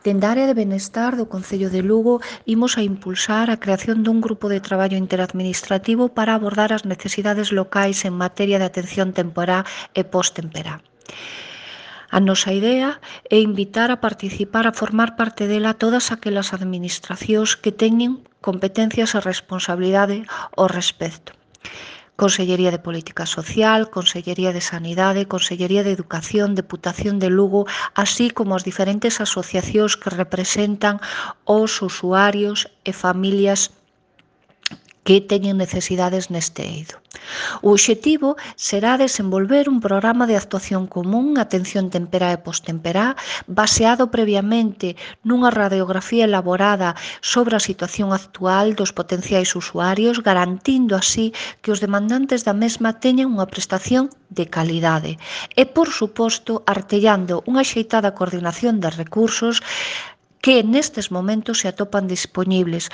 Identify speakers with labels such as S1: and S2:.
S1: Dende a área de benestar do Concello de Lugo imos a impulsar a creación dun grupo de traballo interadministrativo para abordar as necesidades locais en materia de atención temporá e post-temperá. A nosa idea é invitar a participar, a formar parte dela todas aquelas administracións que teñen competencias e responsabilidade ao respecto. Consellería de Política Social, Consellería de Sanidade, Consellería de Educación, Deputación de Lugo, así como as diferentes asociacións que representan os usuarios e familias que teñen necesidades neste eido. O obxectivo será desenvolver un programa de actuación común, atención temperá e postemperá, baseado previamente nunha radiografía elaborada sobre a situación actual dos potenciais usuarios, garantindo así que os demandantes da mesma teñan unha prestación de calidade e, por suposto, artellando unha axeitada coordinación de recursos que nestes momentos se atopan dispoñibles